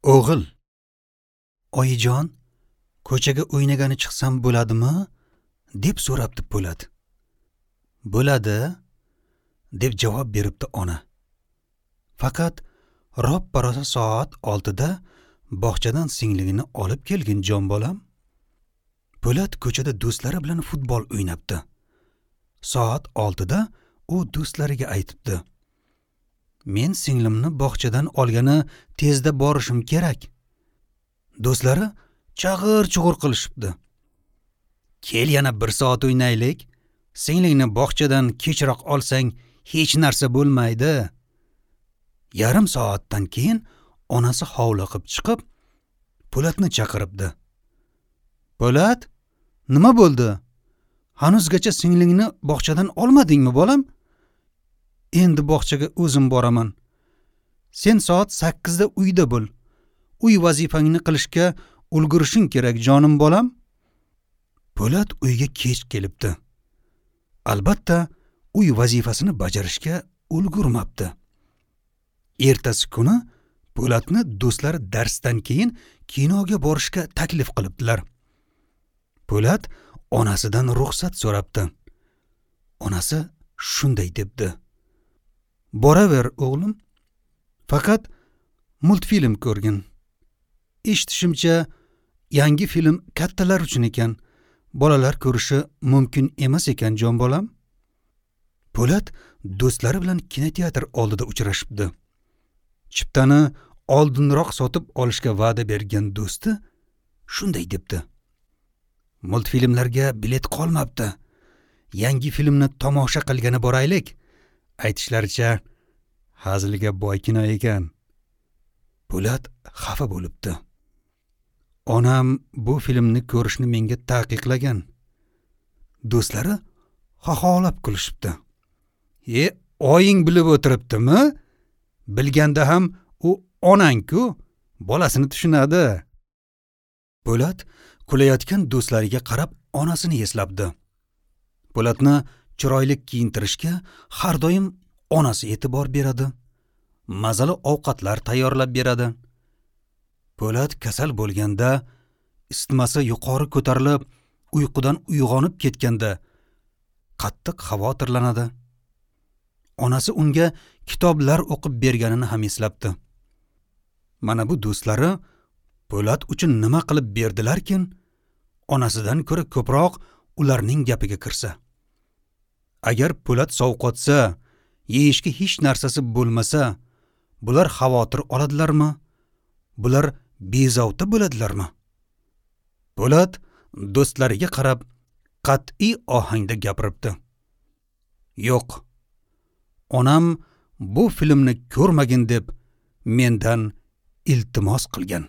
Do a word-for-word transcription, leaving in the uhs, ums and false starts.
O'g'il: "Oyijon, ko'chaga o'ynagani chiqsam bo'ladimi?" deb so'rabdi Po'lat. "Bo'ladi", deb javob beribdi ona. "Faqat roppa-rosa soat oltida bog'chadan singlingni olib kelgin, jon bolam." Po'lat ko'chada do'stlari bilan futbol o'ynabdi. Soat oltida u do'stlariga aytibdi: "Men singlimni bog'chadan olgani tezda borishim kerak." Do'stlari chag'ir-chug'ur qilishibdi. "Kel, yana bir soat o'ynaylik. Singlingni bog'chadan kechroq olsang hech narsa bo'lmaydi." Yarim soatdan keyin onasi hovliqib chiqib, Po'latni chaqiribdi. "Po'lat, nima bo'ldi? Hanuzgacha singlingni bog'chadan olmadingmi, bolam? Endi bog'chaga o'zim boraman. Sen soat sakkizda uyda bo'l. Uy vazifangni qilishga ulgurishing kerak, jonim bolam." Po'lat uyga kech kelibdi. Albatta, uy vazifasini bajarishga ulgurmabdi. Ertasi kuni Po'latni do'stlari darsdan keyin kinoga borishga taklif qilibdilar. Po'lat onasidan ruxsat so'rabdi. Onasi shunday debdi: "Boraver, o'g'lim. Faqat multfilm ko'rgin. Eshitishimcha, yangi film kattalar uchun ekan. Bolalar ko'rishi mumkin emas ekan, jon bolam." Po'lat do'stlari bilan kinoteatr oldida uchrashibdi. Chiptani oldinroq sotib olishga va'da bergan do'sti shunday debdi: "Multfilmlarga bilet qolmabdi. Yangi filmni tomosha qilgani boraylik. Aytishlaricha, hazilga boy kino ekan." Po'lat xafa bo'libdi. "Onam bu filmni ko'rishni menga taqiqlagan." Do'stlari xaxolab kulishibdi. "E, oying bilib o'tiribdimi? Bilganda ham u onang-ku, bolasini tushunadi." Po'lat kulayotgan do'stlariga qarab onasini eslabdi. Po'latni chiroyli kiyintirishga har doim onasi e'tibor beradi. Mazali ovqatlar tayyorlab beradi. Po'lat kasal bo'lganda, isitmasi yuqori ko'tarilib, uyqudan uyg'onib ketganda qattiq xavotirlanadi. Onasi unga kitoblar o'qib berganini ham eslabdi. Mana bu do'stlari Po'lat uchun nima qilib berdilarkin, onasidan ko'ra ko'proq ularning gapiga kirsa. Agar Po'lat sovqotsa, yeyishga hech narsasi bo'lmasa, bular xavotir oladilarmi? Bular bezovta bo'ladilarmi? Po'lat do'stlariga qarab qat'iy ohangda gapiribdi: "Yo'q, onam bu filmni ko'rmagin deb mendan iltimos qilgan."